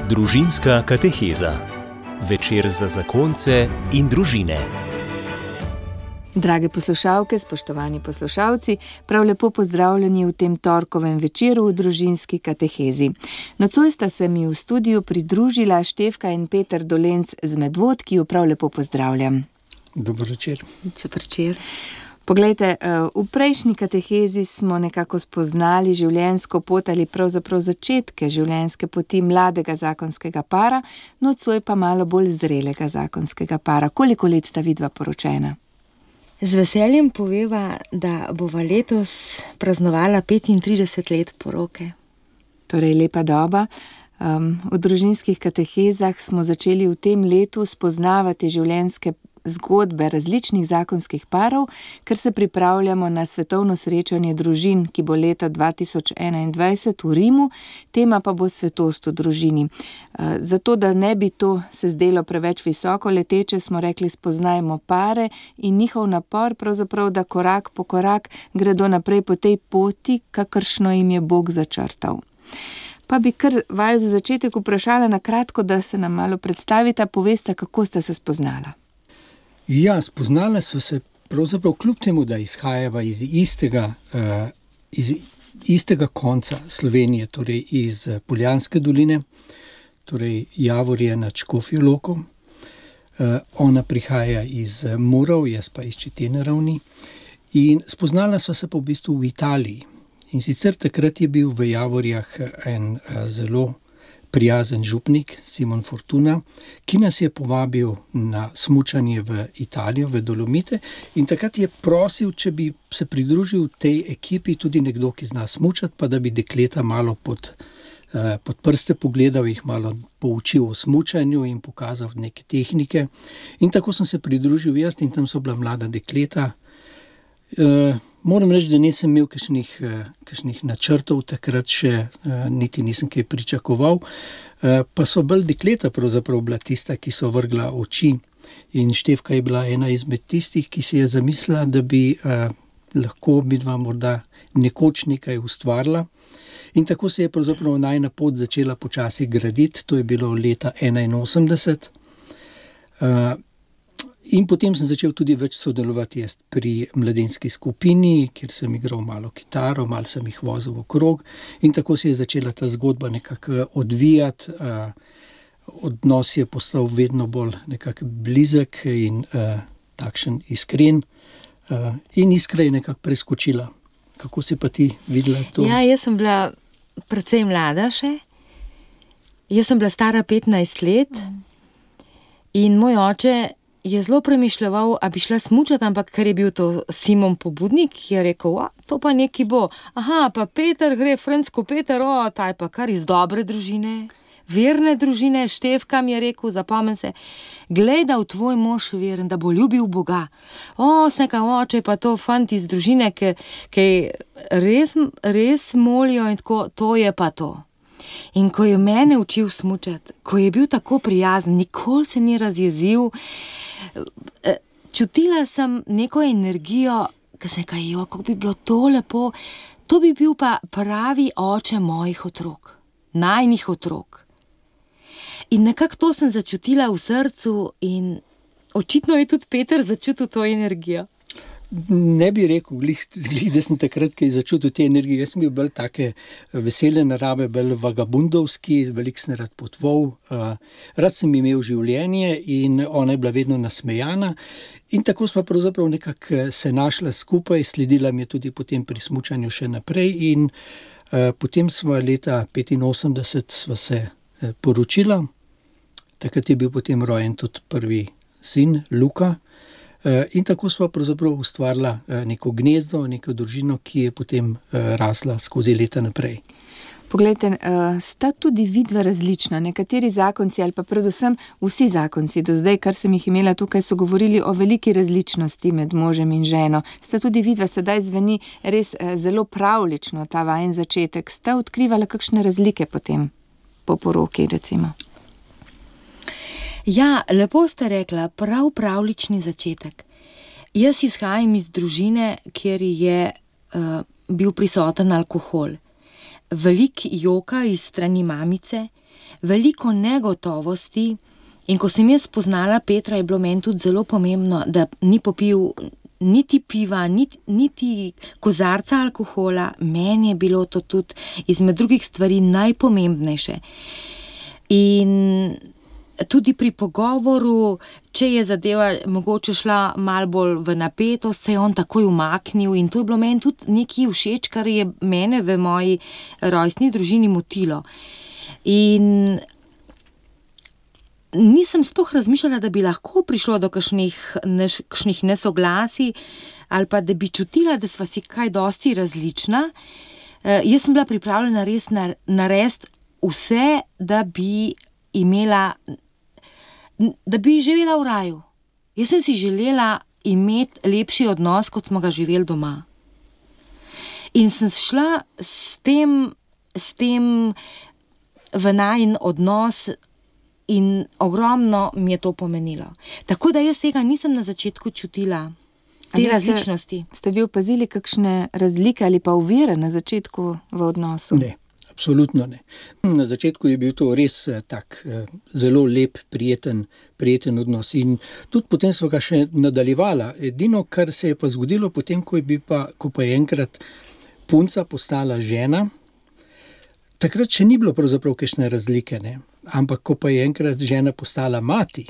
Družinska kateheza. Večer za zakonce in družine. Drage poslušalke, spoštovani poslušalci, prav lepo pozdravljeni v tem torkovem večeru v družinski katehezi. Nocoj sta se mi v studiu pridružila Štefka in Peter Dolenc z Medvod, ki jo prav lepo pozdravljam. Dober večer. Dober večer. Poglejte, v prejšnji katehezi smo nekako spoznali življenjsko pot ali pravzaprav začetke življenjske poti mladega zakonskega para, nocoj pa malo bolj zrelega zakonskega para. Koliko let sta vidva poročena? Z veseljem poveva, da bova letos praznovala 35 let poroke. Torej lepa doba. V družinskih katehezah smo začeli v tem letu spoznavati življenjske zgodbe različnih zakonskih parov, ker se pripravljamo na svetovno srečanje družin, ki bo leta 2021 v Rimu, tema pa bo svetost v družini. Zato, da ne bi to se zdelo preveč visoko leteče, smo rekli, spoznajmo pare in njihov napor, pravzaprav, da korak po korak gredo naprej po tej poti, kakršno jim je Bog začrtal. Pa bi kar vaju za začetek vprašala na kratko, da se nam malo predstavita, povesta, kako sta se spoznala. Ja, spoznala so se pravzaprav kljub temu, da izhajava iz istega konca Slovenije, torej iz Poljanske doline, torej Javorje nad Škofjo Loko. Ona prihaja iz Murov, jaz pa iz Četene ravni. In spoznala so se pa v bistvu v Italiji. In sicer takrat je bil v Javorjah en zelo prijazen župnik, Simon Fortuna, ki nas je povabil na smučanje v Italijo, v Dolomite, in takrat je prosil, če bi se pridružil tej ekipi tudi nekdo, ki zna smučati, pa da bi dekleta malo pod prste pogledal, jih malo poučil o smučanju in pokazal neke tehnike. In tako sem se pridružil jaz in tam so bila mlada dekleta. Moram reči, da nisem imel kakšnih načrtov, takrat še niti nisem kaj pričakoval, pa so bolj dekleta pravzaprav bila tista, ki so vrgla oči, in Štefka je bila ena izmed tistih, ki si je zamislila, da bi lahko midva morda nekoč nekaj ustvarila. In tako se je pravzaprav najina pot začela počasi graditi, to je bilo leta 1981. In potem sem začel tudi več sodelovati pri mladinski skupini, kjer sem igral malo kitaro, malo sem jih vozil okrog, in tako se je začela ta zgodba nekako odvijati. Odnos je postal vedno bolj nekako blizek in takšen iskren. In iskra je nekako preskočila. Kako si pa ti videla to? Ja, jaz sem bila precej mlada še. Jaz sem bila stara 15 let in moj oče je zelo premišljal, a bi šla smučati, ampak ker je bil to Simon pobudnik, je rekel, to pa neki bo. Aha, pa Peter gre, Fransko Peter, ta je pa kar iz dobre družine, verne družine. Štefka mi je rekel, zapomnim se, glej, da v tvoj mož veren, da bo ljubil Boga. Sneka oče, pa to fant iz družine, ki res molijo in tako, to je pa to. In ko je mene učil smučati, ko je bil tako prijazen, nikoli se ni razjezil, čutila sem neko energijo, ki sem rekla, kako bi bilo to lepo, to bi bil pa pravi oče mojih otrok, najnih otrok. In nekako to sem začutila v srcu in očitno je tudi Peter začutil to energijo. Ne bi rekel, da sem takrat kaj začutil te energije. Jaz sem bil bolj take vesele narave, bolj vagabundovski, veliko sem rad potoval, rad sem imel življenje in ona je bila vedno nasmejana. In tako sva pravzaprav nekako se našla skupaj, sledila mi je tudi potem pri smučanju še naprej in potem sva leta 1985 sva se poročila. Takrat je bil potem rojen tudi prvi sin, Luka. In tako sva pravzaprav ustvarila neko gnezdo, neko družino, ki je potem rasla skozi leta naprej. Poglejte, sta tudi vidva različna. Nekateri zakonci ali pa predvsem vsi zakonci do zdaj, kar sem jih imela tukaj, so govorili o veliki različnosti med možem in ženo. Sta tudi vidva, sedaj zveni res zelo pravlično ta vajen začetek. Sta odkrivala kakšne razlike potem po poroki, recimo? Ja, lepo ste rekla, pravlični začetek. Jaz izhajam iz družine, kjer je bil prisoten alkohol. Veliko joka iz strani mamice veliko negotovosti. In ko sem jaz spoznala Petra, je bilo meni tudi zelo pomembno, da ni popil niti piva, niti kozarca alkohola. Meni je bilo to tudi izmed drugih stvari najpomembnejše. In tudi pri pogovoru, če je zadeva mogoče šla malo bolj v napetost, se je on takoj umaknil in to je bilo meni tudi nekaj všeč, kar je mene v moji rojstni družini motilo. In nisem sploh razmišljala, da bi lahko prišlo do kakšnih nesoglasij ali pa da bi čutila, da sva si kaj dosti različna. Jaz sem bila pripravljena res narediti vse, da bi živela v raju. Jaz sem si želela imeti lepši odnos, kot smo ga živeli doma. In sem šla s tem v najin odnos in ogromno mi je to pomenilo. Tako da jaz tega nisem na začetku čutila, te različnosti. Ste vi opazili kakšne razlike ali pa ovire na začetku v odnosu? Ne, absolutno ne. Na začetku je bil to res tak zelo lep, prijeten odnos in tudi potem smo ga še nadaljevala. Edino, kar se je pa zgodilo potem, ko pa je enkrat punca postala žena, takrat še ni bilo pravzaprav kakšne razlike, ne? Ampak ko pa je enkrat žena postala mati,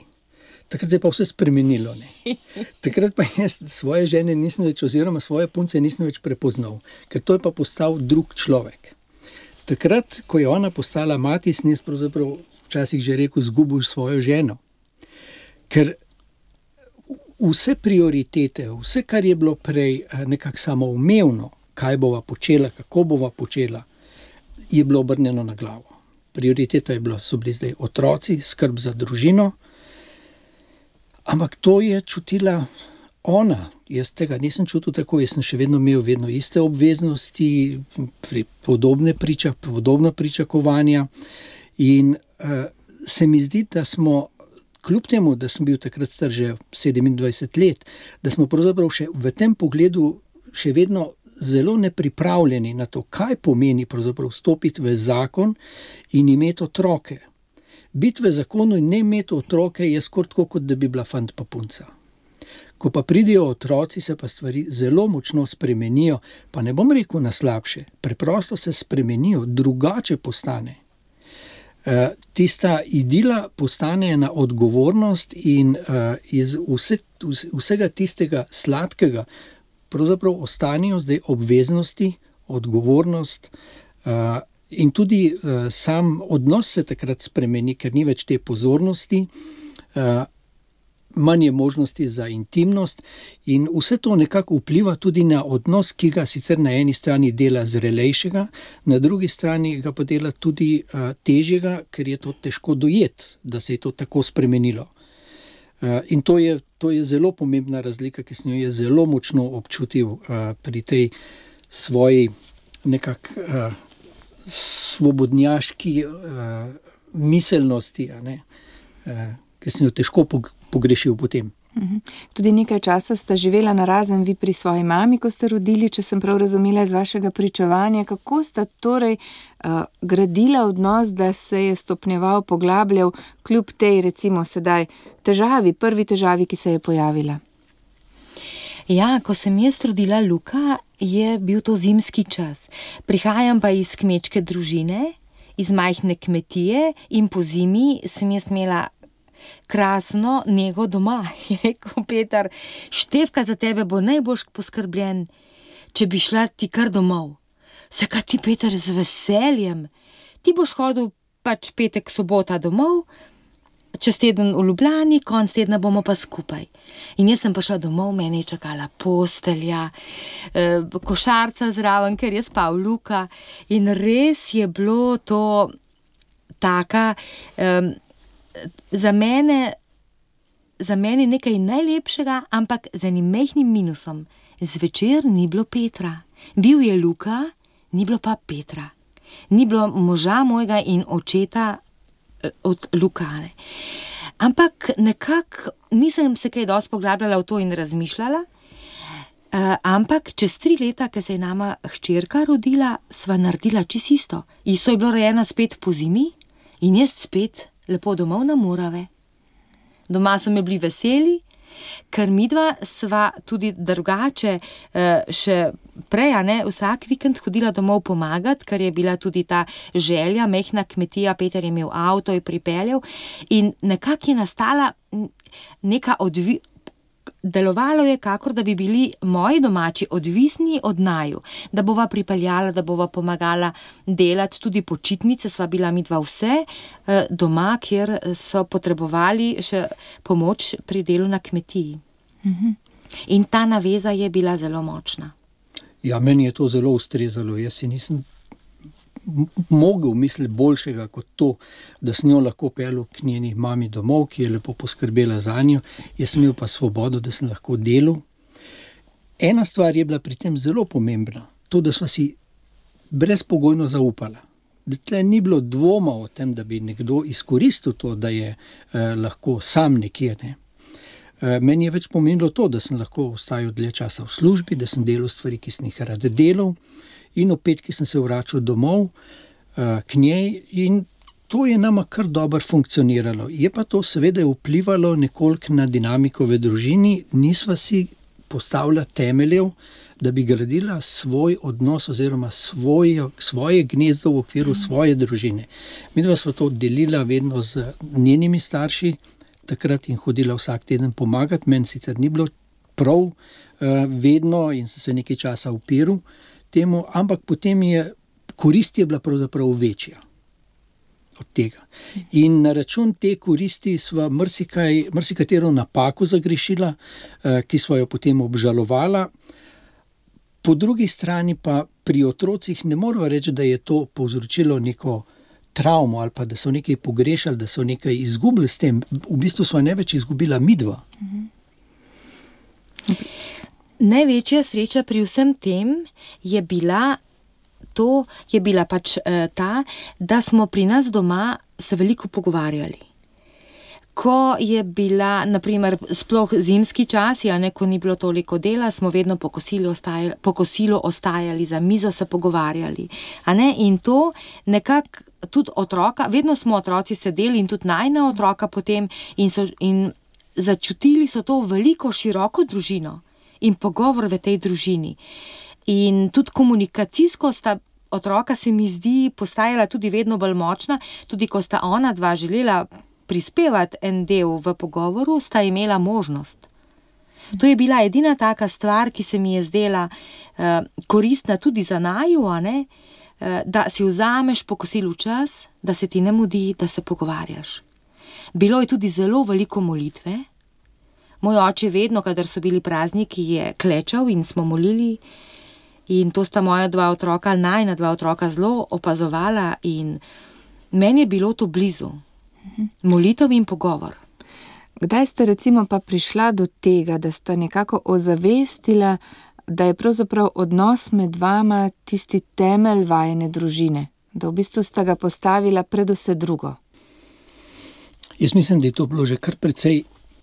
takrat se je pa vse spremenilo, ne? Takrat pa jaz svoje žene nisem več, oziroma svoje punce nisem več prepoznal, ker to je pa postal drug človek. Takrat, ko je ona postala mati, sem jaz pravzaprav včasih že rekel, zgubil svojo ženo. Ker vse prioritete, vse, kar je bilo prej nekako samoumevno, kaj bova počela, kako bova počela, je bilo obrnjeno na glavo. Prioriteta so bili zdaj otroci, skrb za družino, ampak to je čutila ona. Jaz tega nisem čutil tako, jaz sem še vedno imel iste obveznosti, podobna pričakovanja in se mi zdi, da smo, kljub temu, da sem bil takrat star že 27 let, da smo pravzaprav še v tem pogledu še vedno zelo nepripravljeni na to, kaj pomeni pravzaprav stopiti v zakon in imeti otroke. Biti v zakonu in ne imeti otroke je skoraj tako, kot da bi bila fant pa punca. Ko pa pridejo otroci, se pa stvari zelo močno spremenijo, pa ne bom rekel na slabše, preprosto se spremenijo, drugače postane. Tista idila postane ena odgovornost in iz vsega tistega sladkega pravzaprav ostanejo zdaj obveznosti, odgovornost in tudi sam odnos se takrat spremeni, ker ni več te pozornosti, manj je možnosti za intimnost in vse to nekako vpliva tudi na odnos, ki ga sicer na eni strani dela zrelejšega, na drugi strani ga pa dela tudi težjega, ker je to težko dojeti, da se je to tako spremenilo. In to je zelo pomembna razlika, ki sem jo je zelo močno občutil pri tej svoji nekako svobodnjaški miselnosti, ki sem jo težko pogrešil potem. Tudi nekaj časa sta živela narazen vi pri svoji mami, ko ste rodili, če sem prav razumela iz vašega pričevanja. Kako sta torej gradila odnos, da se je stopnjeval, poglabljal, kljub tej, recimo sedaj, prvi težavi, ki se je pojavila? Ja, ko sem jaz rodila Luka, je bil to zimski čas. Prihajam pa iz kmečke družine, iz majhne kmetije in po zimi sem jaz imela krasno nego doma. Je rekel Peter, Štefka za tebe bo najbolj poskrbljen, če bi šla ti kar domov. Zakaj ti, Peter, z veseljem? Ti boš hodil pač petek, sobota domov, čez teden v Ljubljani, konec tedna bomo pa skupaj. In jaz sem pa šla domov, mene je čakala postelja, košarca zraven, ker je spal Luka in res je bilo to taka za mene nekaj najlepšega, ampak z enim majhnim minusom. Zvečer ni bilo Petra. Bil je Luka, ni bilo pa Petra. Ni bilo moža mojega in očeta od Lukane. Ampak nekako nisem se kaj dosti poglabljala v to in razmišljala, ampak čez 3 leta, ko se je nama hčerka rodila, sva naredila čisto isto. Isto je bilo rojena spet po zimi In jaz spet lepo domov na Morave. Doma so me bili veseli, ker midva sva tudi drugače še prej, vsak vikend hodila domov pomagati, ker je bila tudi ta želja, majhna kmetija, Peter je imel avto, je pripeljal in nekako je nastala neka delovalo je, kakor da bi bili moji domači odvisni od naju, da bova pripeljala, da bova pomagala delati, tudi počitnice sva bila midva vse doma, kjer so potrebovali še pomoč pri delu na kmetiji. In ta naveza je bila zelo močna. Ja, meni je to zelo ustrezalo. Jaz si nisem mogel misliti boljšega kot to, da sem jo lahko peljal k njeni mami domov, ki je lepo poskrbela za njo. Jaz sem imel pa svobodo, da sem lahko delal. Ena stvar je bila pri tem zelo pomembna, to, da sva si brezpogojno zaupala. Da tle ni bilo dvoma o tem, da bi nekdo izkoristil to, da je lahko sam nekje, ne. Meni je več pomenilo to, da sem lahko ostajal dlje časa v službi, da sem delal stvari, ki sem jih rad delal, in ob petki sem se vračal domov k njej in to je nama kar dobro funkcioniralo. Je pa to seveda vplivalo nekoliko na dinamiko v družini, nisva si postavila temeljev, da bi gradila svoj odnos oziroma svoje gnezdo v okviru svoje družine. Midva sva to delila vedno z njenimi starši, takrat in hodila vsak teden pomagati. Meni sicer ni bilo prav vedno in sem se nekaj časa upiral temu, ampak potem korist je bila pravzaprav večja od tega. In na račun te koristi sva marsikatero napako zagrešila, ki sva jo potem obžalovala. Po drugi strani pa pri otrocih ne moramo reči, da je to povzročilo neko travmo ali pa da so nekaj pogrešali, da so nekaj izgubili s tem. V bistvu sva največ izgubila midva. Največja sreča pri vsem tem je bila pač ta, da smo pri nas doma se veliko pogovarjali. Ko je bila, na primer, sploh zimski časi, ko ni bilo toliko dela, smo vedno po kosilu ostajali za mizo, se pogovarjali. In to nekako tudi otroka, vedno smo otroci sedeli in tudi najna otroka potem in začutili so to veliko široko družino in pogovor v tej družini. In tudi komunikacijsko sta otroka, se mi zdi, postajala tudi vedno bolj močna, tudi ko sta ona dva želela prispevati en del v pogovoru, sta imela možnost. To je bila edina taka stvar, ki se mi je zdela koristna tudi za naju, da si vzameš po kosilu čas, da se ti ne mudi, da se pogovarjaš. Bilo je tudi zelo veliko molitve. Moj oče vedno, kadar so bili prazniki, je klečal in smo molili in to sta moja najina dva otroka zelo opazovala in meni je bilo to blizu. Molitev in pogovor. Kdaj ste recimo pa prišla do tega, da sta nekako ozavestila, da je pravzaprav odnos med vama tisti temelj vajine družine, da v bistvu sta ga postavila pred vse drugo? Jaz mislim, da je to bilo že kar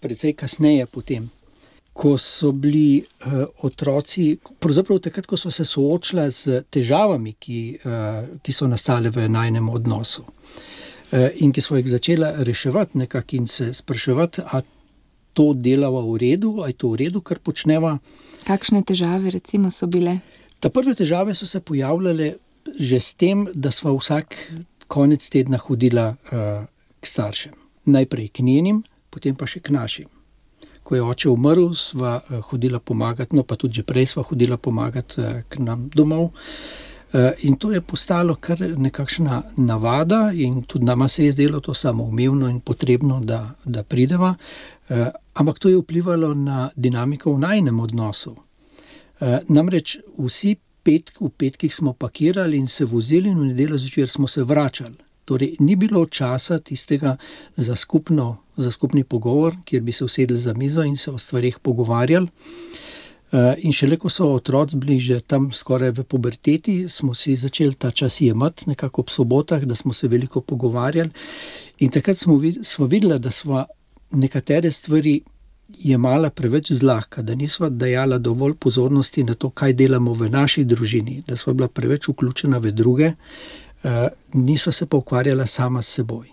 precej kasneje potem, ko so bili otroci, pravzaprav takrat, ko so se soočila z težavami, ki so nastale v najinem odnosu. In ki smo jih začela reševati nekako in se spraševati, a to delava v redu, a je to v redu, kar počneva. Kakšne težave recimo so bile? Ta prve težave so se pojavljale že s tem, da sva vsak konec tedna hodila k staršem. Najprej k njenim, potem pa še k našim. Ko je oče umrl, sva hodila pomagati, no pa tudi že prej sva hodila pomagati k nam domov. In to je postalo kar nekakšna navada in tudi nama se je zdelo to samoumevno in potrebno, da prideva. Ampak to je vplivalo na dinamiko v najinem odnosu. Namreč vsi v petkih smo pakirali in se vozili in v nedeljo zvečer smo se vračali. Torej ni bilo časa tistega za skupni pogovor, kjer bi se usedli za mizo in se o stvarih pogovarjali. In šele ko so otroci bili že tam skoraj v puberteti, smo si začeli ta čas jemati nekako ob sobotah, da smo se veliko pogovarjali. In takrat smo videli, da sva nekatere stvari jemala preveč zlahka, da nisva dajala dovolj pozornosti na to, kaj delamo v naši družini, da sva bila preveč vključena v druge, niso se pa ukvarjala sama s seboj.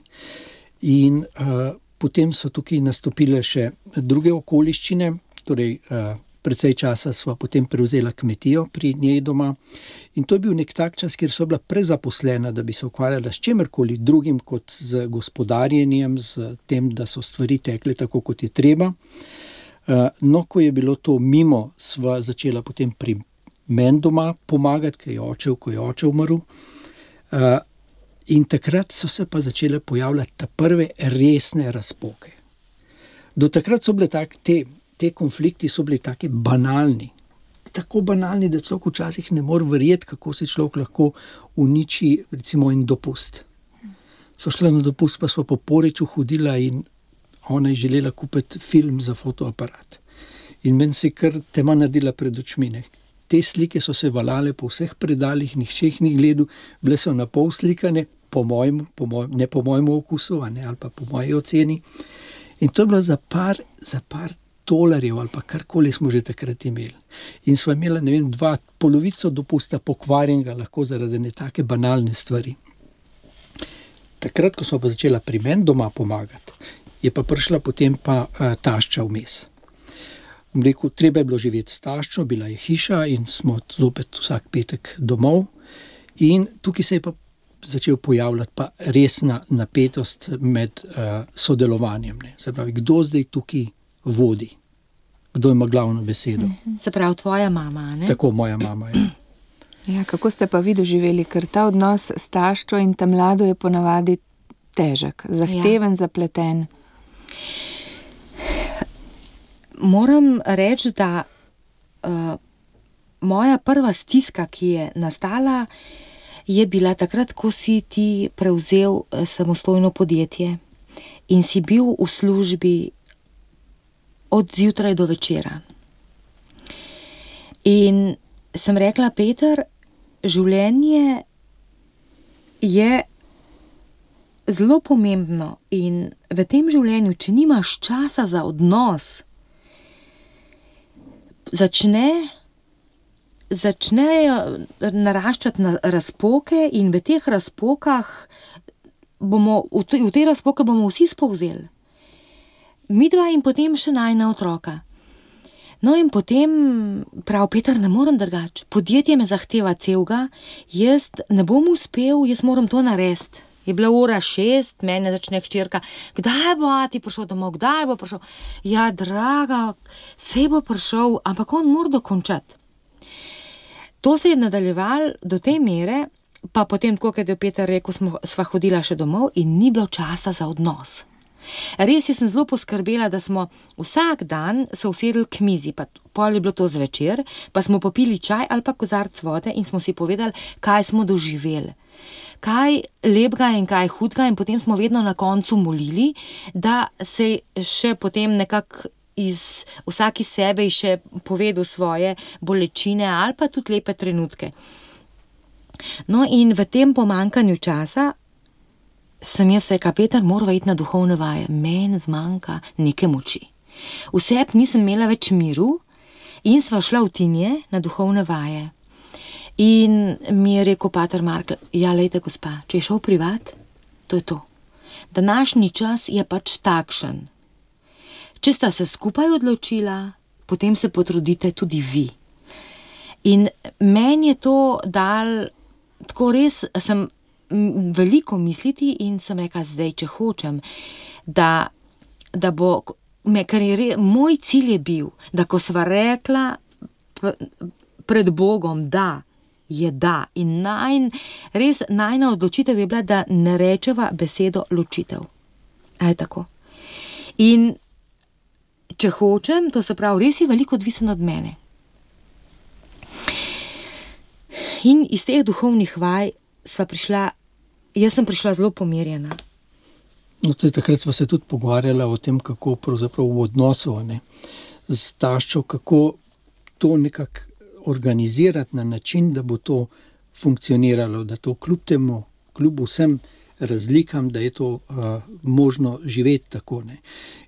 In potem so tukaj nastopile še druge okoliščine, torej precej časa sva potem prevzela kmetijo pri njej doma in to je bil nek tak čas, kjer so bila prezaposlena, da bi se ukvarjala s čemerkoli drugim kot z gospodarjenjem, z tem, da so stvari tekle tako, kot je treba. No, ko je bilo to mimo, sva začela potem pri meni doma pomagati, ko je oče umrl. In takrat so se pa začele pojavljati ta prve resne razpoke. Do takrat so bile te konflikti so bili taki banalni. Tako banalni, da človek včasih ne more verjeti, kako se človek lahko uniči recimo en dopust. So šla na dopust, pa sva po Poreču hodila in ona je želela kupiti film za fotoaparat. In meni se je kar tema naredila pred očmi. Te slike so se valale po vseh predalih, nihče jih ni gledal, bile so na pol slikane, ne po mojemu okusu, ali pa po moji oceni. In to je bilo za par $2 ali pa karkoli smo že takrat imeli. In sva imela, ne vem, polovico dopusta pokvarjenega lahko zaradi ne take banalne stvari. Takrat, ko smo pa začela pri meni doma pomagati, je pa prišla potem pa tašča vmes. Rekel, treba je bilo živeti s taščo, bila je hiša in smo zopet vsak petek domov. In tukaj se je pa začel pojavljati pa resna napetost med sodelovanjem. Se pravi, kdo zdaj tukaj vodi? Kdo ima glavno besedo? Se pravi, tvoja mama, ne? Tako, moja mama, ja. Ja, kako ste pa vi doživeli, ker ta odnos s taščo in ta mlado je ponavadi težek, zahteven, zapleten. Moram reči, da moja prva stiska, ki je nastala, je bila takrat, ko si ti prevzel samostojno podjetje in si bil v službi od zjutraj do večera. In sem rekla, Peter, življenje je zelo pomembno in v tem življenju, če nimaš časa za odnos, začnejo naraščati razpoke in v teh razpokah v te razpoke bomo vsi spolzeli. Midva in potem še najina otroka. No in potem prav, Peter, ne morem drugače. Podjetje me zahteva celega, jaz ne bom uspel, jaz moram to narediti. Je bila 6:00, mene začne hčerka, kdaj bo ati prišel domov, kdaj bo prišel? Ja, draga, saj bo prišel, ampak on mora dokončati. To se je nadaljevalo do te mere, pa potem, tako kot je Peter rekel, sva hodila še domov in ni bilo časa za odnos. Res je, sem zelo poskrbela, da smo vsak dan se usedli k mizi, pa pol je bilo to zvečer, pa smo popili čaj ali pa kozarc vode in smo si povedali, kaj smo doživeli. Kaj lepega in kaj hudega in potem smo vedno na koncu molili, da se še potem nekako vsak iz sebe še povedal svoje bolečine ali pa tudi lepe trenutke. No in v tem pomanjkanju časa sem jaz rekla, Peter, morava iti na duhovne vaje. Meni zmanjka neke moči. Vseb nisem imela več miru in sva šla v Tinje na duhovne vaje. In mi je rekel pater Markl, ja, lejte, gospa, če je šel privat, to je to. Današnji čas je pač takšen. Če sta se skupaj odločila, potem se potrudite tudi vi. In meni je to dal, tako res sem veliko misliti in sem rekla, zdaj, če hočem, da bo, ker je moj cilj je bil, da ko sva rekla pred Bogom, da je da in najna odločitev je bila, da ne rečeva besedo ločitev. A je tako? In če hočem, to se pravi, res je veliko odvisen od mene. In iz teh duhovnih vaj jaz sem prišla zelo pomirjena. No, takrat sva se tudi pogovarjala o tem, kako pravzaprav v odnosu z taščo, kako to nekako organizirati na način, da bo to funkcioniralo, da to kljub vsem razlikam, da je to možno živeti tako.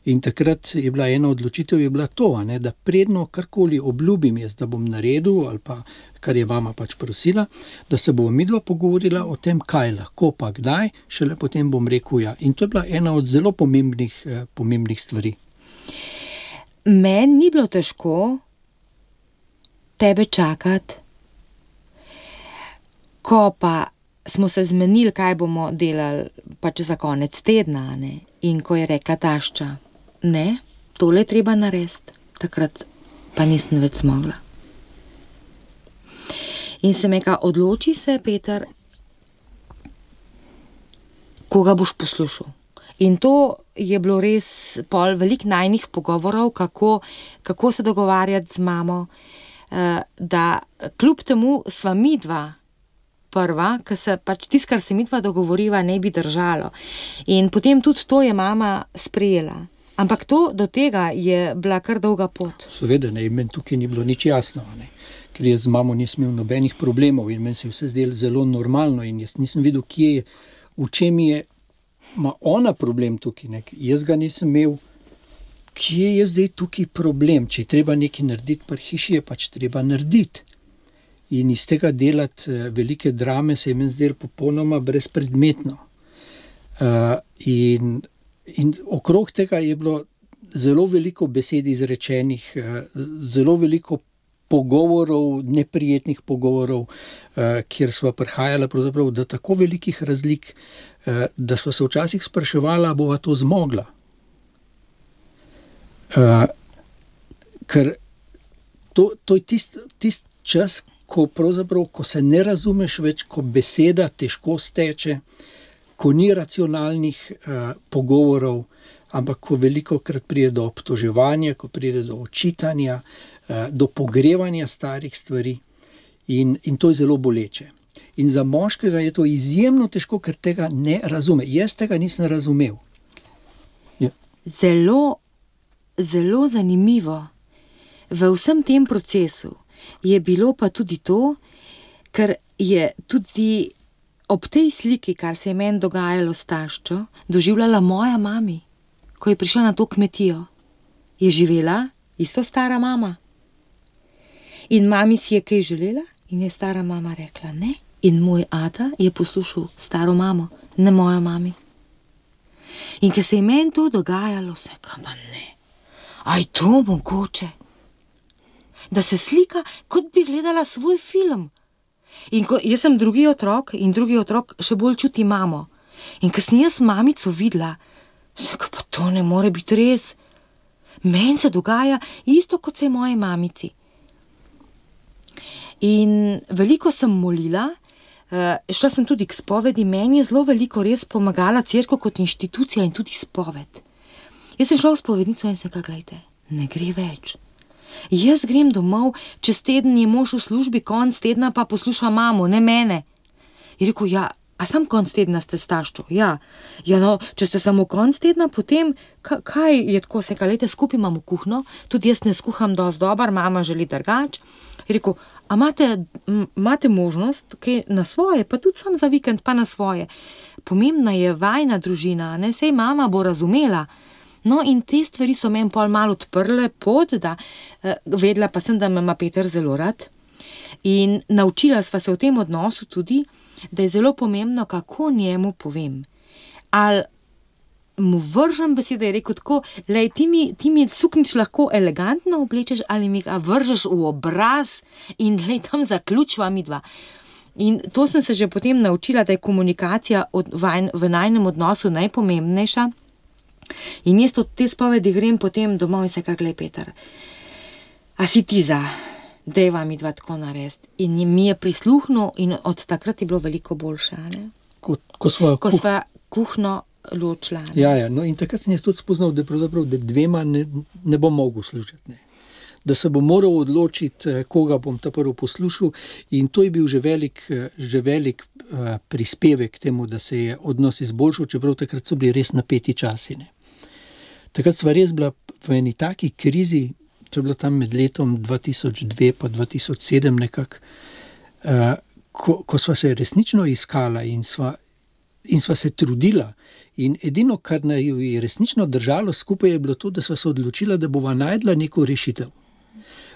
In takrat je bila ena odločitev, je bila to, da predno karkoli obljubim jaz, da bom naredil ali pa kar je mama pač prosila, da se bova midva pogovorila o tem, kaj lahko pa kdaj, šele potem bom rekel ja. In to je bila ena od zelo pomembnih stvari. Meni ni bilo težko tebe čakati, ko pa smo se zmenili, kaj bomo delali pač za konec tedna, ne? In ko je rekla tašča, ne, tole je treba narediti, takrat pa nisem več zmogla. In sem rekla, odloči se, Peter, koga boš poslušal. In to je bilo res pol veliko najnih pogovorov, kako se dogovarjati z mamo, da kljub temu sva midva prva, ker se pač tisto, kar se midva dogovoriva, ne bi držalo. In potem tudi to je mama sprejela. Ampak to do tega je bila kar dolga pot. Seveda, ne, meni tukaj ni bilo nič jasno, ne. Ker jaz z mamo nisem imel nobenih problemov in meni se je vse zdelo zelo normalno in jaz nisem videl, v čem ima ona problem tukaj. Ne. Jaz ga nisem imel, kje je zdaj tukaj problem. Če je treba nekaj narediti pri hiši, je pač treba narediti. In iz tega delati velike drame se je meni zdelo popolnoma brezpredmetno. In okrog tega je bilo zelo veliko besed izrečenih, zelo veliko pogovorov, neprijetnih pogovorov, kjer sva prihajala pravzaprav do tako velikih razlik, da sva se včasih spraševala, bova to zmogla. Ker to je tist čas, ko se ne razumeš več, ko beseda težko steče, ko ni racionalnih pogovorov, ampak ko velikokrat pride do obtoževanja, ko pride do očitanja, do pogrevanja starih stvari in to je zelo boleče. In za moškega je to izjemno težko, ker tega ne razume. Jaz tega nisem razumel. Ja. Zelo, zelo zanimivo v vsem tem procesu je bilo pa tudi to, ker je tudi ob tej sliki, kar se je meni dogajalo s taščo, doživljala moja mami, ko je prišla na to kmetijo. Je živela isto stara mama. In mami si je kaj želela in je stara mama rekla ne. In moj ata je poslušal staro mamo, ne mojo mami. In ko se je meni to dogajalo, se kama ne. Aj to mogoče? Da se slika, kot bi gledala svoj film. In ko jaz sem drugi otrok in drugi otrok še bolj čuti mamo. In ko sem jaz mamico videla, se pa to ne more biti res. Meni se dogaja isto, kot se je moji mamici. In veliko sem molila, šla sem tudi k spovedi, meni je zelo veliko res pomagala cerkev kot inštitucija in tudi spoved. Jaz sem šla v spovednico in sem rekla, glejte, ne gre več. Jaz grem domov, čez teden je mož v službi, konc tedna pa posluša mamo, ne mene. Je rekel, ja, a sam konc tedna ste s taščo? Ja, no, če ste samo konc tedna, potem, kaj je tako, se kalete, skupaj imamo kuhno, tudi jaz ne skuham dosti dobar, mama želi drugač. Je rekel, a imate možnost, kaj na svoje, pa tudi sam za vikend, pa na svoje. Pomembna je vajna družina, ne, sej mama bo razumela. No, in te stvari so meni pol malo odprle pot, da vedela pa sem, da me ima Peter zelo rad. In naučila sva se v tem odnosu tudi, da je zelo pomembno, kako njemu povem. Ali mu vržem besede, je rekel tako, lej, ti mi suknič lahko elegantno oblečeš, ali mi ga vržeš v obraz in lej, tam zaključva midva. In to sem se že potem naučila, da je komunikacija v najinem odnosu najpomembnejša. In jaz od te spovedi grem potem domov in se glej, Peter, a si ti za, dejva midva tako narediti. In mi je prisluhnil in od takrat je bilo veliko boljše. Ko sva kuhno ločila. Ja, no in takrat sem jaz tudi spoznal, da dvema ne bom mogel služiti. Ne. Da se bom moral odločiti, koga bom ta prvo poslušal in to je bil že velik prispevek k temu, da se je odnos izboljšal, čeprav takrat so bili res napeti časi. Ne. Takrat sva res bila v eni taki krizi, to je bilo tam med letom 2002 pa 2007 nekako, ko sva se resnično iskala in sva se trudila. In edino, kar naju je resnično držalo skupaj, je bilo to, da sva se odločila, da bova najdla neko rešitev.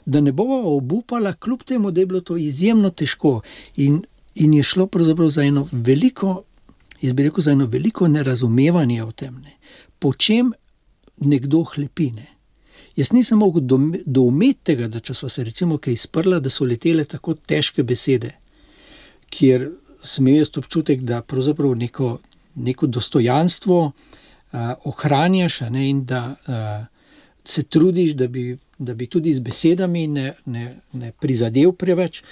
da ne bova obupala, kljub temu, da je bilo to izjemno težko. In je šlo pravzaprav za eno veliko, jaz bi rekel, za eno veliko nerazumevanje o tem, ne. Po čem nekdo hlepi, ne. Jaz nisem mogel doumeti tega, da če sva se recimo kaj izprla, da so letele tako težke besede, kjer sem imel jaz občutek, da pravzaprav neko dostojanstvo ohranjaš, a ne, in da se trudiš, da bi tudi z besedami ne prizadel preveč.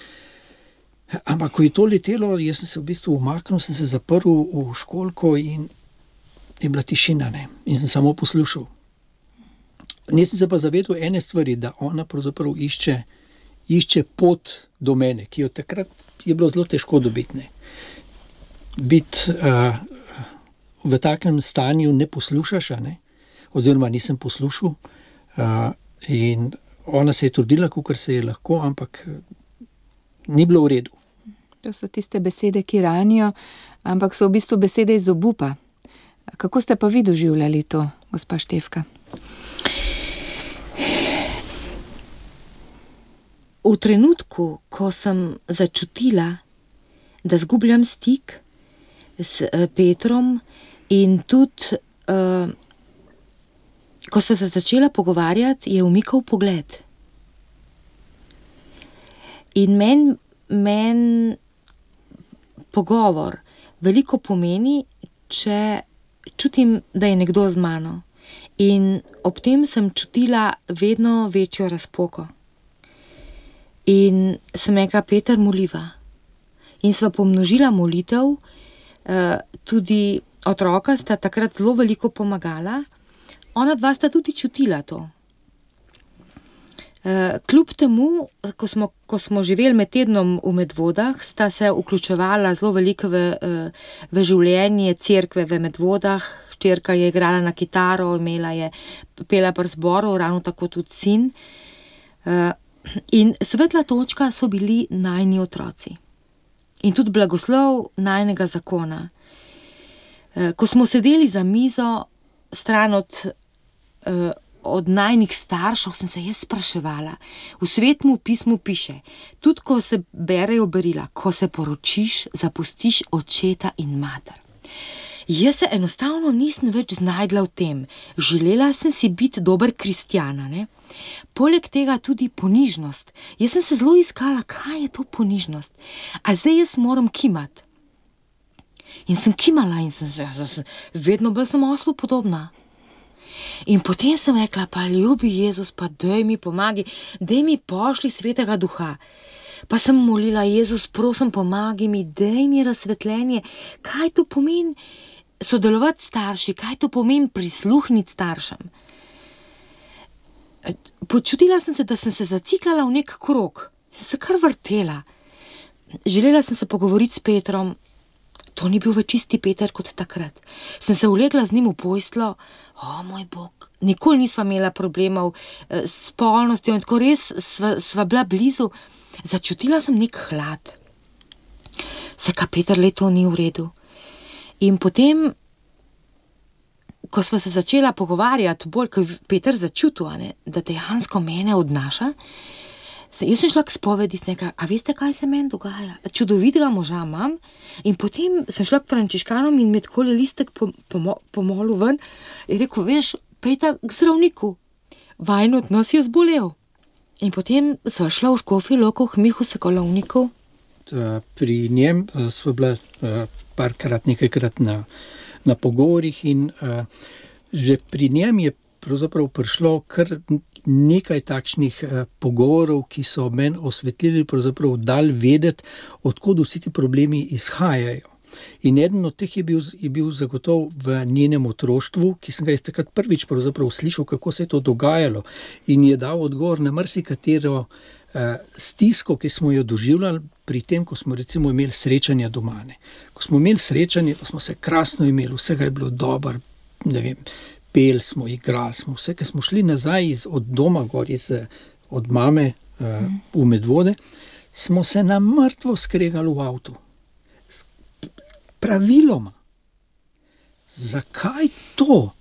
Ampak ko je to letelo, jaz sem se v bistvu umaknil, sem se zaprl v školjko in je bila tišina, ne, in sem samo poslušal. Nisem se pa zavedel ene stvari, da ona pravzaprav išče pot do mene, ki jo takrat je bilo zelo težko dobiti, ne. Biti v takem stanju ne poslušaš, a ne, oziroma nisem poslušal, in ona se je trudila, kakor se je lahko, ampak ni bilo v redu. To so tiste besede, ki ranijo, ampak so v bistvu besede iz obupa. Kako ste pa vi doživljali to, gospa Štefka? V trenutku, ko sem začutila, da zgubljam stik s Petrom in tudi, ko sem se začela pogovarjati, je umikal pogled. In meni pogovor veliko pomeni, če čutim, da je nekdo z mano. In ob tem sem čutila vedno večjo razpoko. In sem rekla: Peter, moliva. In sva pomnožila molitev, tudi otroka sta takrat zelo veliko pomagala, ona dva sta tudi čutila to. Kljub temu, ko smo živeli med tednom v Medvodah, sta se vključevala zelo veliko v življenje cerkve v Medvodah. Hčerka je igrala na kitaro, pela pri zboru, ravno tako tudi sin. In svetla točka so bili najini otroci. In tudi blagoslov najinega zakona. Ko smo sedeli za mizo, stran od najinih staršev, sem se jaz spraševala. V Svetem pismu piše, tudi ko se berejo berila, ko se poročiš, zapustiš očeta in mater. Jaz se enostavno nisem več znajdla v tem. Želela sem si biti dober kristjan, ne? Poleg tega tudi ponižnost. Jaz sem se zelo iskala, kaj je to ponižnost. A zdaj jaz moram kimati. In sem kimala in vedno bolj sem oslu podobna. In potem sem rekla: pa ljubi Jezus, pa daj mi pomagi, daj mi pošli Svetega Duha. Pa sem molila: Jezus, prosim, pomagi mi, daj mi razsvetljenje, kaj to pomeni sodelovati s starši, kaj to pomeni prisluhniti staršem. Počutila sem se, da sem se zaciklala v nek krog, sem se kar vrtela. Želela sem se pogovoriti s Petrom, to ni bil več isti Peter kot takrat. Sem se ulegla z njim v posteljo, moj Bog, nikoli nisva imela problemov s spolnostjo in tako res sva bila blizu. Začutila sem nek hlad. Saj Peter, to ni v redu. In potem, ko sva se začela pogovarjati, bolj, ko je Peter začutil, da dejansko mene odnaša, jaz sem šla k spovedi, sem rekla: a veste, kaj se meni dogaja? Čudovitega moža imam. In potem sem šla k frančiškanom in mi takole listek pomolil ven in rekel: veš, Peter, k zdravniku, vajin odnos je zbolel. In potem sva šla v Škofjo Loko k Mihu Sokolovniku. Pri njem sva bila nekajkrat na pogovorih in že pri njem je pravzaprav prišlo kar nekaj takšnih pogovorov, ki so meni osvetlili, pravzaprav dali vedeti, odkud vsi ti problemi izhajajo. In eden od teh je bil zagotovo v njenem otroštvu, ki sem ga jaz takrat prvič pravzaprav slišal, kako se je to dogajalo, in je dal odgovor na marsikatero stisko, ki smo jo doživljali pri tem, ko smo recimo imeli srečanja doma. Ko smo imeli srečanje, pa smo se krasno imeli, vsega je bilo dobro, ne vem, peli smo, igrali smo, vse, ki smo šli nazaj od doma gor, od mame v Medvode, smo se na mrtvo skregali v avtu. Praviloma. Zakaj to?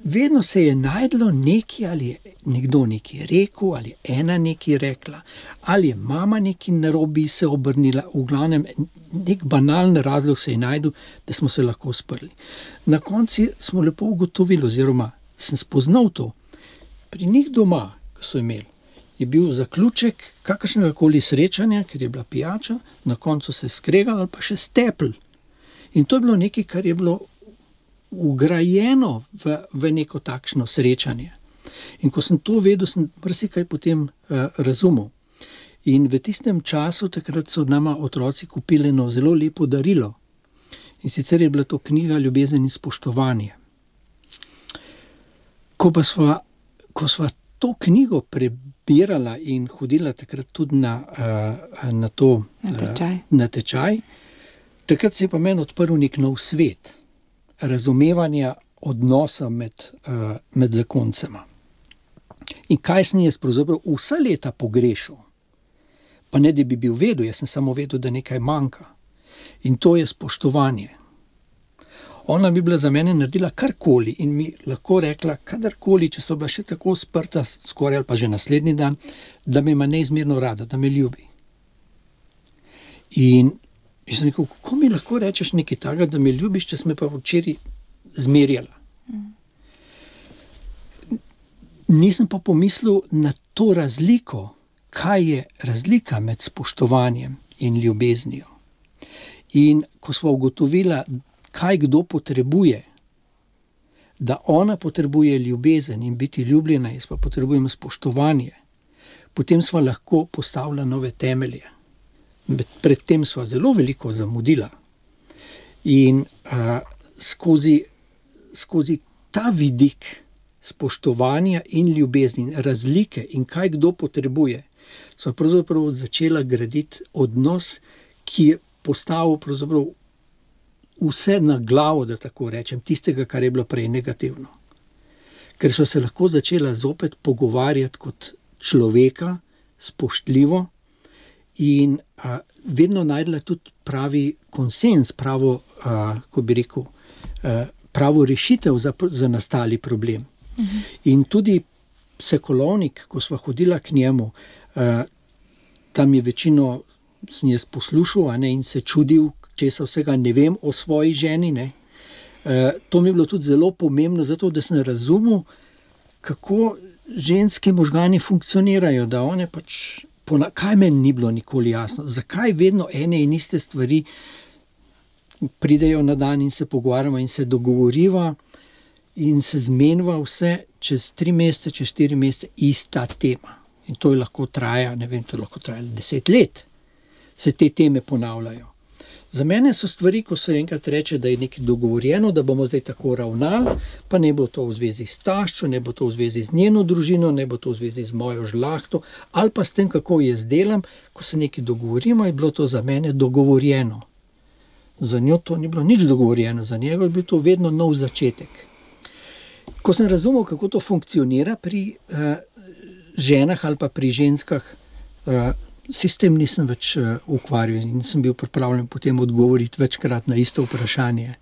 vedno se je najdlo nekaj, ali je nekdo nekaj rekel, ali je ena nekaj rekla, ali je mama nekaj narobe se obrnila, v glavnem nek banalen razlog se je najdel, da smo se lahko sprli. Na koncu smo lepo ugotovili, oziroma sem spoznal to, pri njih doma, ko so imeli, je bil zaključek kakršnega koli srečanja, ker je bila pijača, na koncu se skregali ali pa še stepl. In to je bilo nekaj, kar je bilo ugrajeno v neko takšno srečanje. In ko sem to vedel, sem marsikaj potem razumel. In v tistem času, takrat so nama otroci kupili eno zelo lepo darilo. In sicer je bila to knjiga Ljubezen in spoštovanje. Ko sva to knjigo prebirala in hodila takrat tudi na tečaj, takrat se je pa meni odprl nek nov svet razumevanja odnosa med zakoncema. In kaj sem jaz pravzaprav vsa leta pogrešal? Pa ne, da bi bil vedel, jaz sem samo vedel, da nekaj manjka. In to je spoštovanje. Ona bi bila za mene naredila karkoli in mi lahko rekla kadarkoli, če so bila še tako sprta, skoraj ali pa že naslednji dan, da me ima neizmerno rada, da me ljubi. In jaz sem rekel, kako mi lahko rečeš nekaj takega, da me ljubiš, če sem me pa včeraj zmerjala. Nisem pa pomislil na to razliko, kaj je razlika med spoštovanjem in ljubeznijo. In ko sva ugotovila, kaj kdo potrebuje, da ona potrebuje ljubezen in biti ljubljena, jaz pa potrebujem spoštovanje, potem sva lahko postavila nove temelje. Predtem sva zelo veliko zamudila. In skozi ta vidik spoštovanja in ljubezni, razlike in kaj kdo potrebuje, sva pravzaprav začela graditi odnos, ki je postavil pravzaprav vse na glavo, da tako rečem, tistega, kar je bilo prej negativno. Ker so se lahko začela zopet pogovarjati kot človeka, spoštljivo in vedno najdla tudi pravi konsens, pravo rešitev za nastali problem. In tudi psikolovnik, ko sva hodila k njemu, tam je večino sem jaz poslušal, in se čudil, česa vsega ne vem o svoji ženi. To mi je bilo tudi zelo pomembno, zato da sem razumel, kako ženske možgani funkcionirajo, da one pač, kaj meni ni bilo nikoli jasno, zakaj vedno ene in iste stvari pridejo na dan in se pogovarjamo in se dogovoriva in se zmeniva vse čez 3 mesece, čez 4 mesece ista tema. In to je lahko traja, ne vem, to je lahko trajalo 10 let. Se te teme ponavljajo. Za mene so stvari, ko se enkrat reče, da je nekaj dogovorjeno, da bomo zdaj tako ravnali, pa ne bo to v zvezi s taščo, ne bo to v zvezi z njeno družino, ne bo to v zvezi z mojo žlahto, ali pa s tem, kako jaz delam, ko se nekaj dogovorimo, je bilo to za mene dogovorjeno. Za njo to ni bilo nič dogovorjeno, za njega je bil to vedno nov začetek. Ko sem razumel, kako to funkcionira pri ženah ali pa pri ženskah, se s tem nisem več ukvarjal in sem bil pripravljen potem odgovoriti večkrat na isto vprašanje.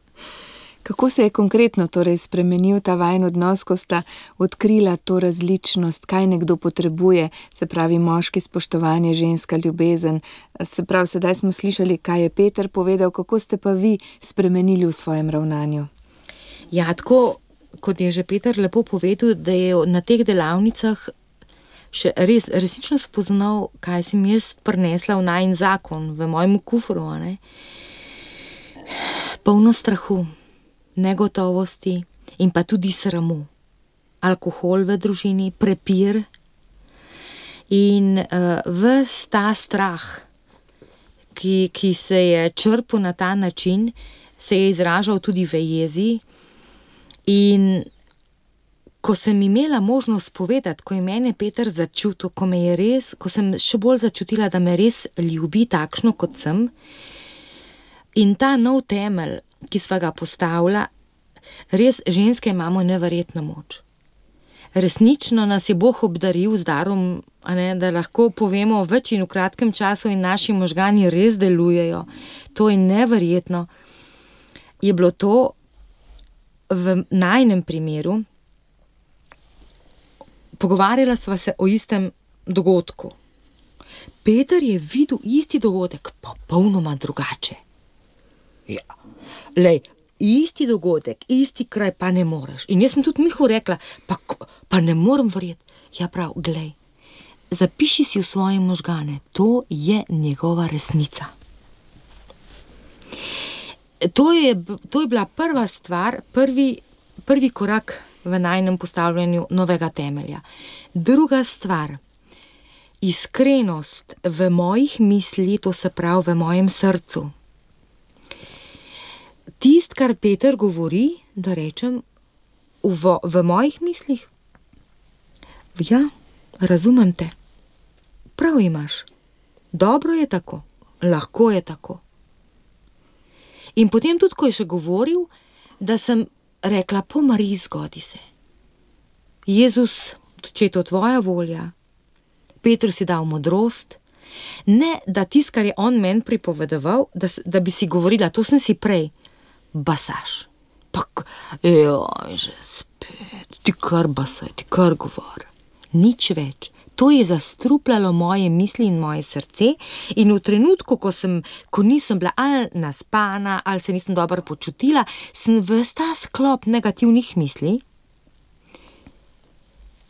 Kako se je konkretno torej spremenil ta vajin odnos, ko sta odkrila to različnost, kaj nekdo potrebuje, se pravi moški spoštovanje, ženska ljubezen. Se pravi, sedaj smo slišali, kaj je Peter povedal, kako ste pa vi spremenili v svojem ravnanju? Ja, tako kot je že Peter lepo povedal, da je na teh delavnicah še resnično spoznal, kaj sem jaz prinesla v najin zakon, v mojem kufru, polno strahu, negotovosti in pa tudi sramu. Alkohol v družini, prepir in ves ta strah, ki se je črpal na ta način, se je izražal tudi v jezi. In ko sem imela možnost povedati, ko je mene Peter začutil, ko sem še bolj začutila, da me res ljubi takšno, kot sem, in ta nov temelj, ki sva ga postavila, res ženske imamo neverjetno moč. Resnično nas je Bog obdaril z darom, da lahko povemo več in v kratkem času in naši možgani res delujejo. To je neverjetno. Je bilo to v najinem primeru, pogovarjala sva se o istem dogodku. Peter je videl isti dogodek, popolnoma drugače. Ja, lej, isti dogodek, isti kraj, pa ne moreš. In jaz sem tudi Mihu rekla, pa ne morem verjeti. Ja prav, glej, zapiši si v svoje možgane, to je njegova resnica. To je bila prva stvar, prvi korak v najinem postavljanju novega temelja. Druga stvar, iskrenost v mojih mislih, to se pravi v mojem srcu. Tist, kar Peter govori, da rečem, v mojih mislih, ja, razumem te, prav imaš, dobro je tako, lahko je tako. In potem tudi, ko je še govoril, da sem rekla, po Mariji zgodi se. Jezus, če je to tvoja volja, Petru si dal modrost, ne da tist, kar je on meni pripovedoval, da bi si govorila, to sem si prej, basaš. Že spet, ti kar basaj, ti kar govor. Nič več. To je zastrupljalo moje misli in moje srce in v trenutku, ko nisem bila ali naspana, ali se nisem dobro počutila, sem ves ta sklop negativnih misli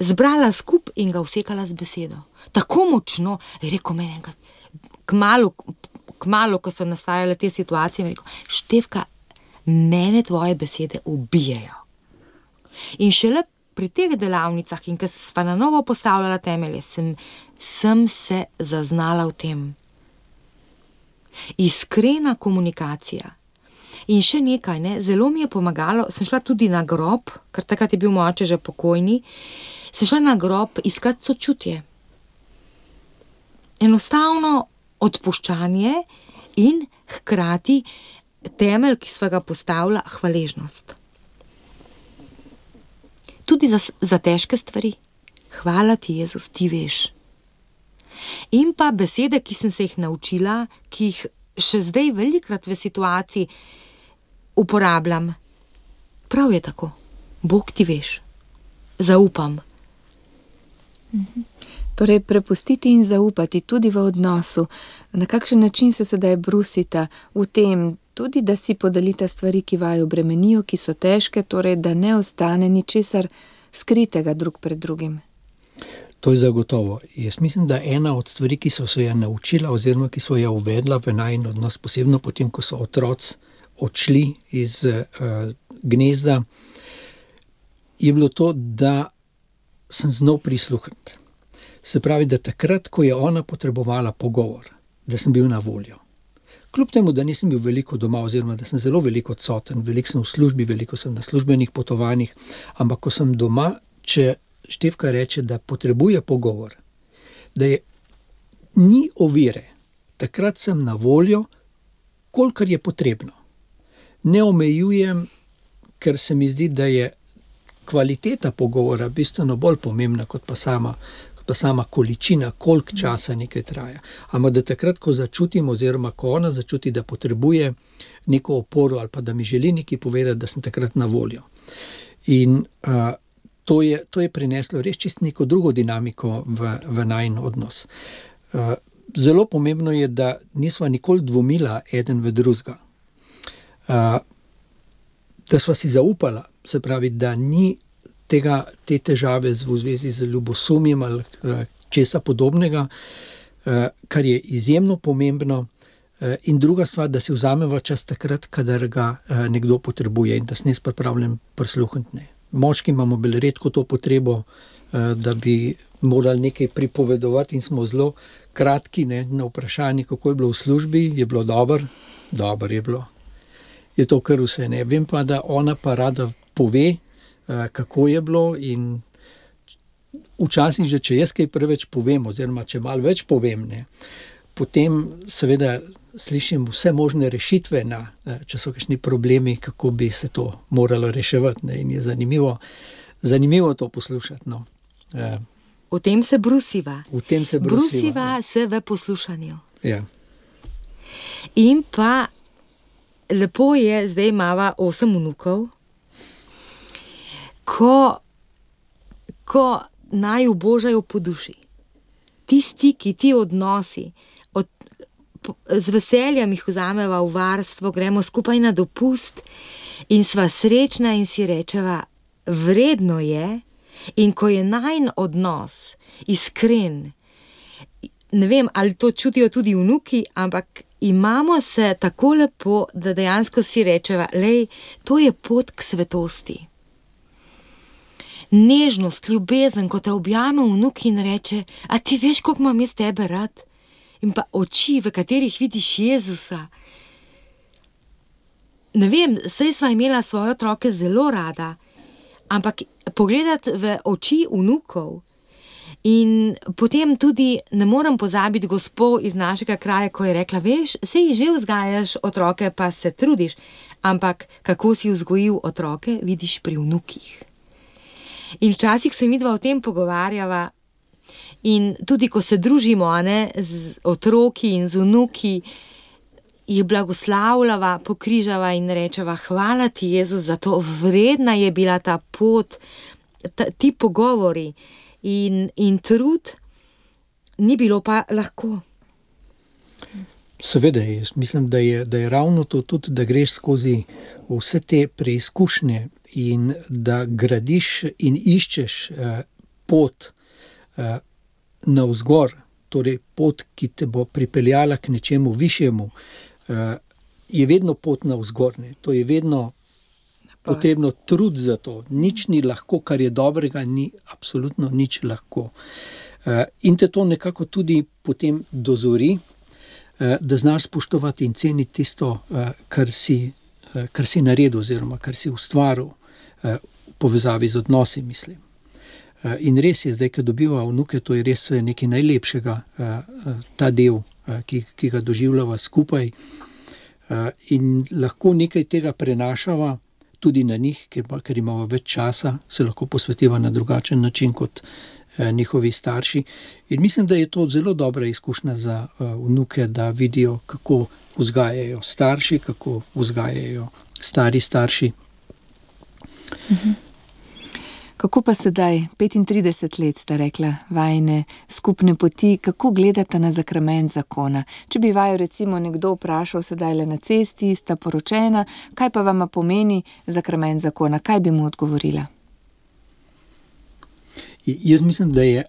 zbrala skup in ga vsekala z besedo. Tako močno, je rekel meni enkrat, kmalu, ko so nastajale te situacije, je rekel, Štefka, mene tvoje besede ubijajo. In šele pri teh delavnicah in ko sva na novo postavljala temelje, sem se zaznala v tem. Iskrena komunikacija. In še nekaj, zelo mi je pomagalo, sem šla tudi na grob, ker takrat je bil moj oče že pokojni, sem šla na grob iskat sočutje. Enostavno odpuščanje in hkrati temelj, ki sva ga postavila, hvaležnost. Tudi za težke stvari. Hvala ti, Jezus, ti veš. In pa besede, ki sem se jih naučila, ki jih še zdaj velikrat v situaciji uporabljam. Prav je tako. Bog ti veš. Zaupam. Torej, prepustiti in zaupati tudi v odnosu. Na kakšen način se sedaj brusita v tem, tudi da si podelita stvari, ki vaju bremenijo, ki so težke, torej da ne ostane ničesar skritega drug pred drugim. To je zagotovo. Jaz mislim, da ena od stvari, ki so se jo naučila oziroma ki so jo uvedla v najin odnos, posebno potem, ko so otroci odšli iz gnezda, je bilo to, da sem znal prisluhniti. Se pravi, da takrat, ko je ona potrebovala pogovor, da sem bil na voljo. Kljub temu, da nisem bil veliko doma, oziroma da sem zelo veliko odsoten, veliko sem v službi, veliko sem na službenih potovanjih, ampak ko sem doma, če Štefka reče, da potrebuje pogovor, da ni ovire, takrat sem na voljo, kolikor je potrebno. Ne omejujem, ker se mi zdi, da je kvaliteta pogovora bistveno bolj pomembna, kot pa sama količina, koliko časa nekaj traja. Ampak da takrat, ko začutim, oziroma ko ona začuti, da potrebuje neko oporo ali pa da mi želi nekaj povedati, da sem takrat na voljo. In to je prineslo res čisto neko drugo dinamiko v najin odnos. Zelo pomembno je, da nisva nikoli dvomila eden v drugega. Da sva si zaupala, se pravi, da ni te težave v zvezi z ljubosumjem ali česa podobnega, kar je izjemno pomembno. In druga stvar, da si vzameva čas takrat, kadar ga nekdo potrebuje in da sem jaz pripravljen prisluhniti. Moški imamo bolj redko to potrebo, da bi morali nekaj pripovedovati in smo zelo kratki, na vprašanje, kako je bilo v službi, je bilo dobro je bilo. Je to kar vse, Vem pa, da ona pa rada pove, kako je bilo in včasih že, če jaz kaj preveč povem, oziroma če malo več povem, potem seveda slišim vse možne rešitve, če so kakšni problemi, kako bi se to moralo reševati, in je zanimivo to poslušati. O tem se brusiva. Brusiva se v poslušanju. Ja. In pa lepo je, zdaj imava 8 vnukov, ko naju božajo po duši. Ti stiki, ti odnosi, z veseljem jih vzameva v varstvo, gremo skupaj na dopust in sva srečna in si rečeva, vredno je, in ko je najin odnos iskren, ne vem, ali to čutijo tudi vnuki, ampak imamo se tako lepo, da dejansko si rečeva, lej, to je pot k svetosti. Nežnost, ljubezen, ko te objame vnuk in reče, a ti veš, koliko imam jaz tebe rad? In pa oči, v katerih vidiš Jezusa. Ne vem, saj sva imela svoje otroke zelo rada, ampak pogledati v oči vnukov in potem tudi ne morem pozabiti gospo iz našega kraja, ko je rekla, veš, sej že vzgajaš otroke, pa se trudiš, ampak kako si vzgojil otroke, vidiš pri vnukih. In včasih se midva o tem pogovarjava in tudi, ko se družimo, z otroki in z vnuki, jih blagoslavljava, pokrižava in rečeva, hvala ti, Jezus, za to, vredna je bila ta pot, ti pogovori in trud, ni bilo pa lahko. Seveda, jaz mislim, da je ravno to tudi, da greš skozi vse te preizkušnje in da gradiš in iščeš pot navzgor, torej pot, ki te bo pripeljala k nečemu višjemu, je vedno pot navzgor. To je vedno potrebno trud za to. Nič ni lahko, kar je dobrega, ni absolutno nič lahko. In te to nekako tudi potem dozori, da znaš spoštovati in ceniti tisto, kar si naredil oziroma kar si ustvaril v povezavi z odnosi, mislim. In res je, zdaj, ko dobiva vnuke, to je res nekaj najlepšega, ta del, ki ga doživljava skupaj. In lahko nekaj tega prenašava tudi na njih, ker imamo več časa, se lahko posvetiva na drugačen način kot njihovi starši. In mislim, da je to zelo dobra izkušnja za vnuke, da vidijo, kako vzgajajo starši, kako vzgajajo stari starši. Kako pa sedaj, 35 let sta rekla vajine skupne poti, kako gledata na zakrament zakona? Če bi vaju recimo nekdo vprašal sedaj le na cesti, sta poročena, kaj pa vama pomeni zakrament zakona? Kaj bi mu odgovorila? Jaz mislim, da je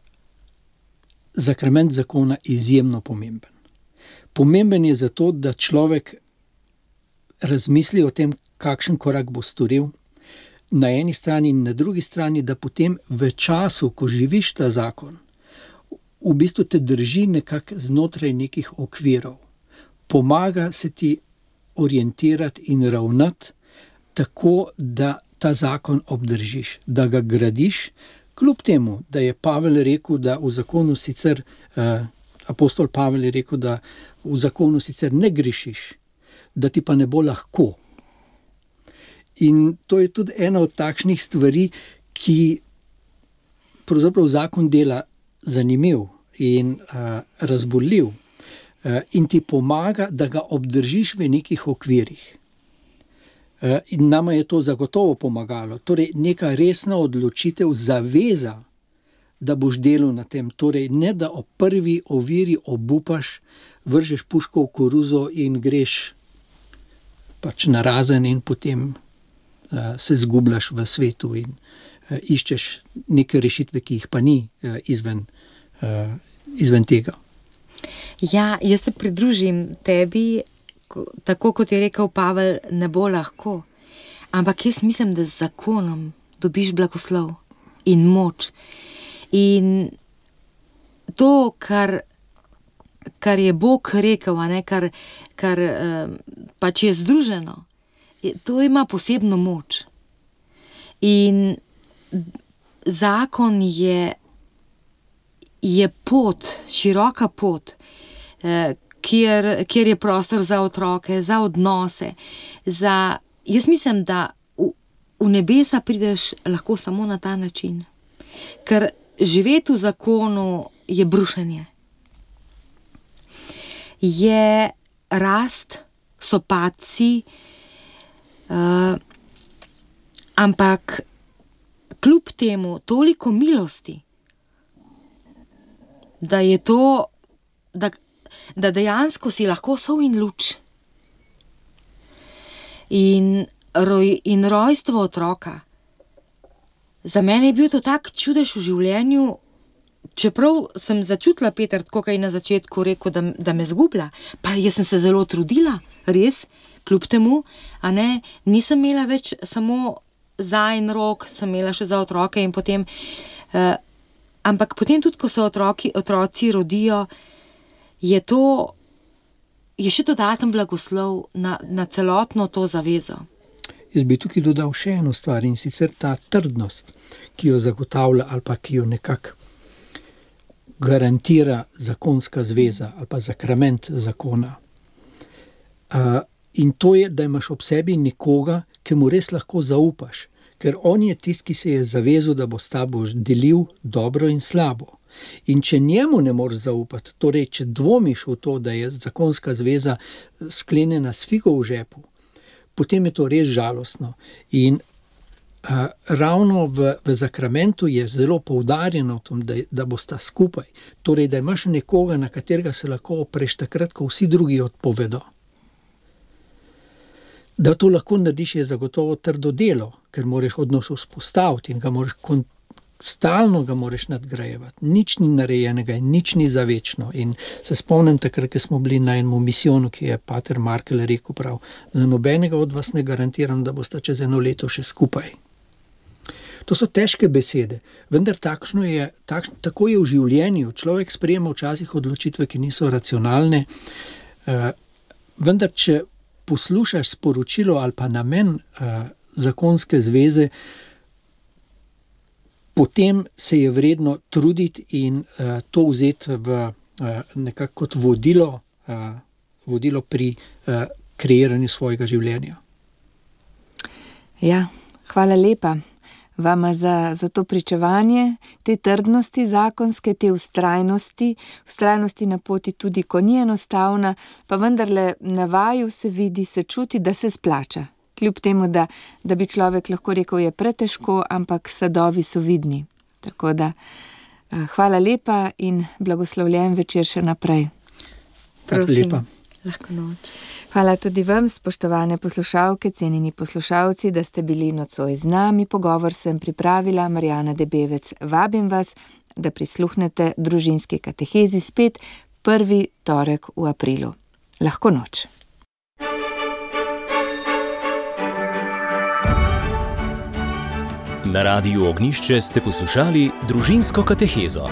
zakrament zakona izjemno pomemben. Pomemben je zato, da človek razmisli o tem, kakšen korak bo storil, na eni strani in na drugi strani, da potem v času, ko živiš ta zakon, v bistvu te drži nekako znotraj nekih okvirov. Pomaga se ti orientirati in ravnati tako, da ta zakon obdržiš, da ga gradiš, kljub temu, da je Pavel rekel, da v zakonu sicer, apostol Pavel je rekel, da v zakonu sicer ne grešiš, da ti pa ne bo lahko. In to je tudi ena od takšnih stvari, ki pravzaprav zakon dela zanimiv in razborljiv in ti pomaga, da ga obdržiš v nekih okvirih. In nama je to zagotovo pomagalo. Torej, neka resna odločitev, zaveza, da boš delal na tem. Torej, ne da o prvi oviri obupaš, vržeš puško v koruzo in greš pač narazen in potem se zgubljaš v svetu in iščeš neke rešitve, ki jih pa ni izven tega. Ja, jaz se pridružim tebi, tako kot je rekel Pavel, ne bo lahko. Ampak jaz mislim, da z zakonom dobiš blagoslov in moč. In to, kar je Bog rekel, kar pač je združeno, to ima posebno moč. In zakon je pot, široka pot, kjer je prostor za otroke, za odnose. Jaz mislim, da v nebesa prideš lahko samo na ta način. Ker živeti v zakonu je brušenje. Je rast, so padci, ampak kljub temu toliko milosti, da je to, da dejansko si lahko sol in luč. In rojstvo otroka. Za mene je bil to tak čudež v življenju, čeprav sem začutila, Peter, tako kaj na začetku rekel, da me zgublja. Pa jaz sem se zelo trudila, res, kljub temu, a ne, nisem imela več samo za en rok, sem imela še za otroke in potem, ampak potem tudi, ko se otroci rodijo, je še dodaten blagoslov na celotno to zavezo. Jaz bi tukaj dodal še eno stvar, in sicer ta trdnost, ki jo zagotavlja ali pa ki jo nekako garantira zakonska zveza ali pa sakrament zakona. In to je, da imaš ob sebi nekoga, ki mu res lahko zaupaš, ker on je tisti, ki se je zavezal, da bo s tabo delil dobro in slabo. In če njemu ne moreš zaupati, torej če dvomiš v to, da je zakonska zveza sklenjena s figo v žepu, potem je to res žalostno. In ravno v sakramentu je zelo poudarjeno v tom, da bosta skupaj. Torej, da imaš nekoga, na katerega se lahko opreš takrat, ko vsi drugi odpovedo. Da to lahko narediš, je zagotovo trdo delo, ker moraš odnos vzpostaviti in stalno ga moraš nadgrajevati. Nič ni narejenega in nič ni za večno. In se spomnim takrat, ko smo bili na enem misijonu, ki je pater Markel rekel prav, za nobenega od vas ne garantiram, da boste čez 1 leto še skupaj. To so težke besede, vendar tako je v življenju. Človek sprejema včasih odločitve, ki niso racionalne, vendar če poslušaš sporočilo ali pa namen zakonske zveze, potem se je vredno truditi in to vzeti nekako kot vodilo pri kreiranju svojega življenja. Ja, hvala lepa vama za to pričevanje, te trdnosti zakonske, te vztrajnosti na poti tudi, ko ni enostavna, pa vendarle na vaju se vidi, se čuti, da se splača. Kljub temu, da bi človek lahko rekel, je pretežko, ampak sadovi so vidni. Tako da hvala lepa in blagoslovljen večer še naprej. Prosim, lahko noč. Hvala tudi vam, spoštovane poslušalke, cenjeni poslušalci, da ste bili nocoj z nami. Pogovor sem pripravila Marjana Debevec. Vabim vas, da prisluhnete družinski katehezi spet 1. torek v aprilu. Lahko noč. Na Radiu Ognjišče ste poslušali družinsko katehezo.